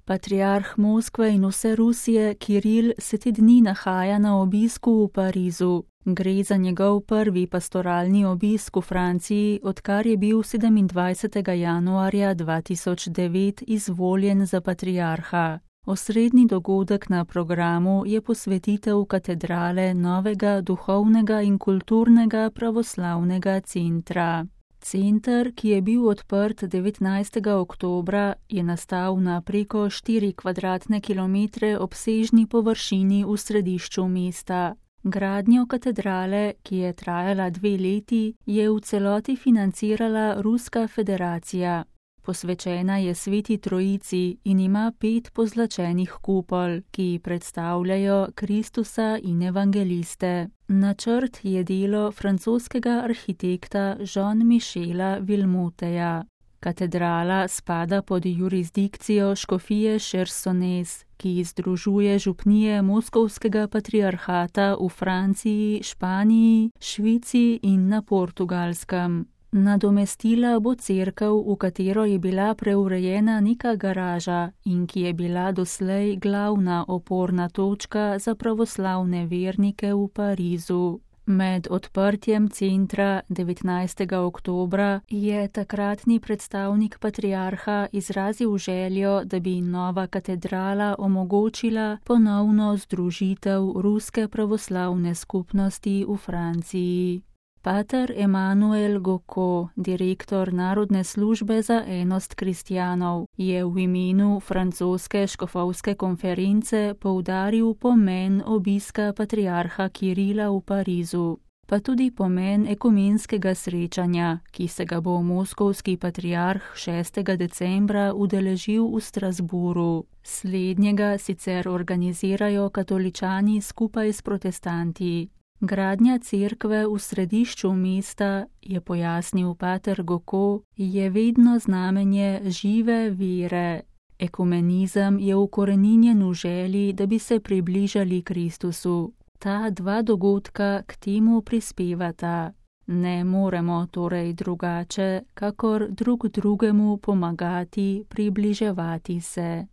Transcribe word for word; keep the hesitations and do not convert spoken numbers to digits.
Patriarh Moskve in vse Rusije Kiril se te dni nahaja na obisku v Parizu. Gre za njegov prvi pastoralni obisk v Franciji, odkar je bil sedemindvajsetega januarja dva tisoč devet izvoljen za patriarha. Osrednji dogodek na programu je posvetitev katedrale novega duhovnega in kulturnega pravoslavnega centra. Center, ki je bil odprt devetnajstega oktobra, je nastal na preko štiri kvadratne kilometre obsežni površini v središču mesta. Gradnjo katedrale, ki je trajala dve leti, je v celoti financirala Ruska federacija. Posvečena je Sveti Trojici in ima pet pozlačenih kupol, ki predstavljajo Kristusa in evangeliste. Načrt je delo francoskega arhitekta Jean-Michela Villemoteja. Katedrala spada pod jurisdikcijo škofije Chersonese, ki združuje župnije Moskovskega patriarhata v Franciji, Španiji, Švici in na Portugalskem. Nadomestila bo cerkev, v katero je bila preurejena neka garaža in ki je bila doslej glavna oporna točka za pravoslavne vernike v Parizu. Med odprtjem centra devetnajstega oktobra je takratni predstavnik patriarha izrazil željo, da bi nova katedrala omogočila ponovno združitev ruske pravoslavne skupnosti v Franciji. Pater Emanuel Gaucourt, direktor Narodne službe za enost kristjanov, je v imenu francoske škofovske konference poudaril pomen obiska patriarha Kirila v Parizu, pa tudi pomen ekumenskega srečanja, ki se ga bo moskovski patriarh šestega decembra udeležil v Strasburu. Slednjega sicer organizirajo katoličani skupaj s protestanti. Gradnja cerkve v središču mesta, je pojasnil pater Gaucourt, je vedno znamenje žive vere. Ekumenizem je ukoreninjen v želji, da bi se približali Kristusu. Ta dva dogodka k temu prispevata. Ne moremo torej drugače, kakor drug drugemu pomagati približevati se.